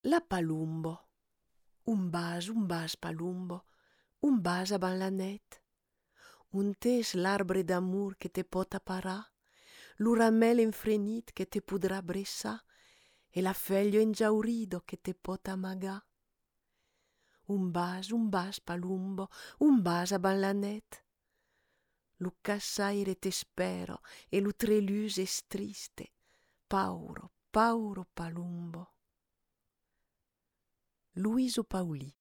La palumbo. Un bas palumbo, un bas avant la net. Un tes l'arbre d'amour que te pot apparar, l'uramel infrenit que te podrà bressar, e la feuille enjaurido que te pot amagar. Un bas palumbo, un bas avant la net. Lu cassaire t'espero, e lu trelus es triste, pauro palumbo. Luiso Pauli.